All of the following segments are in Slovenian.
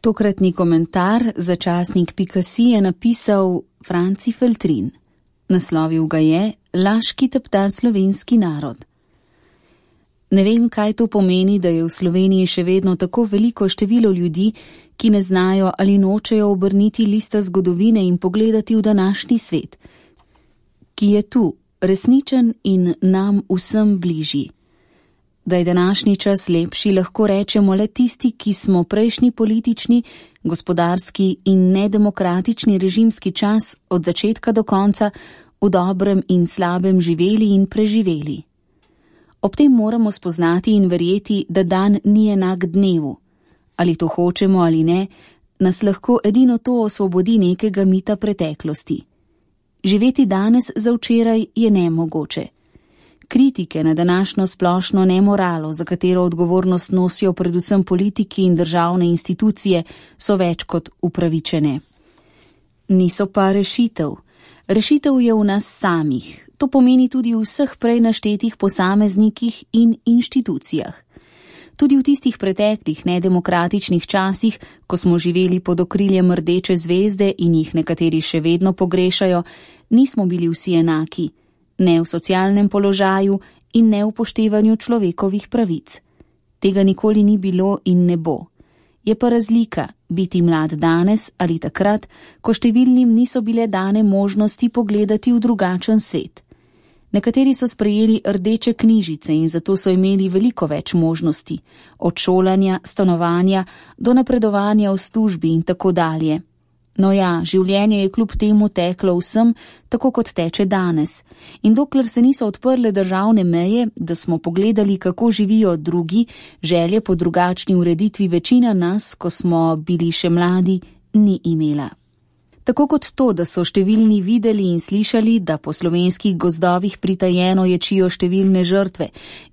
Tokratni komentar za časnik.si je napisal Franci Feltrin. Naslovil ga je Laž, ki tepta slovenski narod. Ne vem, kaj to pomeni, da je v Sloveniji še vedno tako veliko število ljudi, ki ne znajo ali nočejo obrniti lista zgodovine in pogledati v današnji svet, ki je tu, resničen in nam vsem bližji. Da je današnji čas lepši, lahko rečemo le tisti, ki smo prejšnji politični, gospodarski in nedemokratični režimski čas od začetka do konca v dobrem in slabem živeli in preživeli. Ob tem moramo spoznati in verjeti, da dan ni enak dnevu. Ali to hočemo ali ne, nas lahko edino to osvobodi nekega mita preteklosti. Živeti danes za včeraj je nemogoče. Kritike na današnjo splošno nemoralo, za katero odgovornost nosijo predvsem politiki in državne institucije, so več kot upravičene. Niso pa rešitev. Rešitev je v nas samih. To pomeni tudi v vseh prej naštetih posameznikih in inštitucijah. Tudi v tistih preteklih nedemokratičnih časih, ko smo živeli pod okriljem Rdeče zvezde in jih nekateri še vedno pogrešajo, nismo bili vsi enaki. Ne v socialnem položaju in ne v upoštevanju človekovih pravic. Tega nikoli ni bilo in ne bo. Je pa razlika biti mlad danes ali takrat, ko številnim niso bile dane možnosti pogledati v drugačen svet. Nekateri so sprejeli rdeče knjižice in zato so imeli veliko več možnosti, od šolanja, stanovanja do napredovanja v službi in tako dalje. No ja, življenje je kljub temu teklo vsem, tako kot teče danes. In dokler se niso odprle državne meje, da smo pogledali, kako živijo drugi, želje po drugačni ureditvi večina nas, ko smo bili še mladi, ni imela. Tako kot to, da so številni videli in slišali, da po slovenskih gozdovih pritajeno ječijo številne žrtve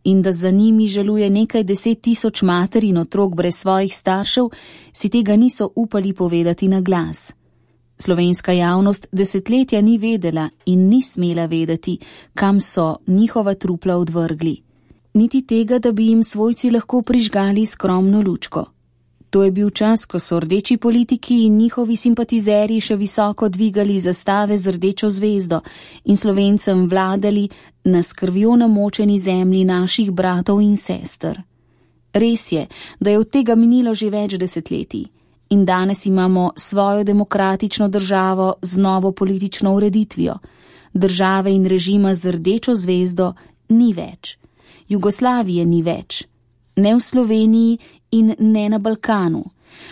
in da za njimi žaluje nekaj 10.000 mater in otrok brez svojih staršev, si tega niso upali povedati na glas. Slovenska javnost desetletja ni vedela in ni smela vedeti, kam so njihova trupla odvrgli. Niti tega, da bi jim svojci lahko prižgali skromno lučko. To je bil čas, ko so rdeči politiki in njihovi simpatizerji še visoko dvigali zastave z rdečo zvezdo in Slovencem vladali na s krvjo namočeni zemlji naših bratov in sester. Res je, da je od tega minilo že več desetletij in danes imamo svojo demokratično državo z novo politično ureditvijo. Države in režima z rdečo zvezdo ni več. Jugoslavije ni več. Ne v Sloveniji in ne na Balkanu.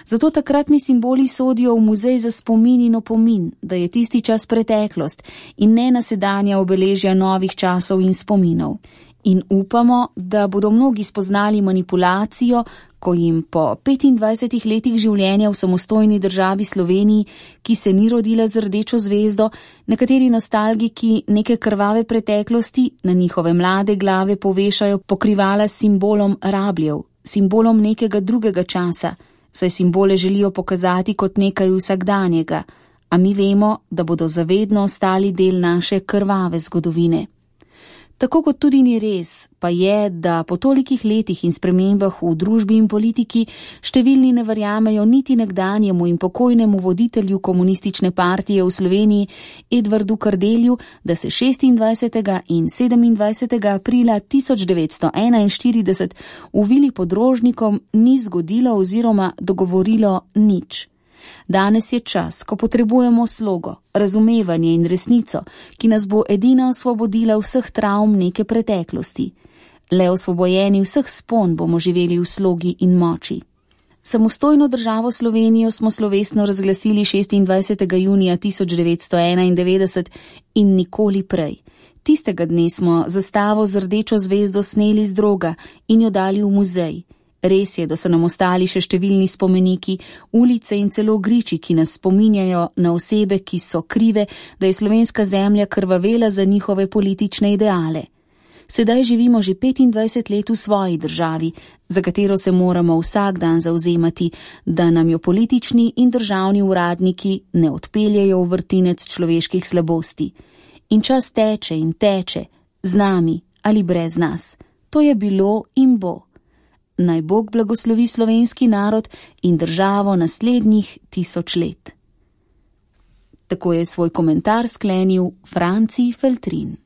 Zato takratni simboli sodijo v muzej za spomin in opomin, da je tisti čas preteklost in ne nasedanja obeležja novih časov in spominov. In upamo, da bodo mnogi spoznali manipulacijo, ko jim po 25 letih življenja v samostojni državi Sloveniji, ki se ni rodila z rdečo zvezdo, nekateri nostalgiki neke krvave preteklosti na njihove mlade glave povešajo pokrivala s simbolom rabljev, simbolom nekega drugega časa, saj simbole želijo pokazati kot nekaj vsakdanjega, a mi vemo, da bodo zavedno ostali del naše krvave zgodovine. Tako kot tudi ni res, pa je, da po tolikih letih in spremembah v družbi in politiki številni ne verjamejo niti nekdanjemu in pokojnemu voditelju komunistične partije v Sloveniji Edvardu Kardelju, da se 26. in 27. aprila 1941 v vili pod Rožnikom ni zgodilo oziroma dogovorilo nič. Danes je čas, ko potrebujemo slogo, razumevanje in resnico, ki nas bo edina osvobodila vseh travm neke preteklosti. Le osvobojeni vseh spon bomo živeli v slogi in moči. Samostojno državo Slovenijo smo slovesno razglasili 26. junija 1991 in nikoli prej. Tistega dne smo zastavo z rdečo zvezdo sneli z droga in jo dali v muzej. Res je, da so nam ostali še številni spomeniki, ulice in celo griči, ki nas spominjajo na osebe, ki so krive, da je slovenska zemlja krvavela za njihove politične ideale. Sedaj živimo že 25 let v svoji državi, za katero se moramo vsak dan zavzemati, da nam jo politični in državni uradniki ne odpeljejo v vrtinec človeških slabosti. In čas teče in teče, z nami ali brez nas. To je bilo in bo. naj Bog blagoslovi slovenski narod in državo naslednjih 1000 let. Tako je svoj komentar sklenil Franci Feltrin.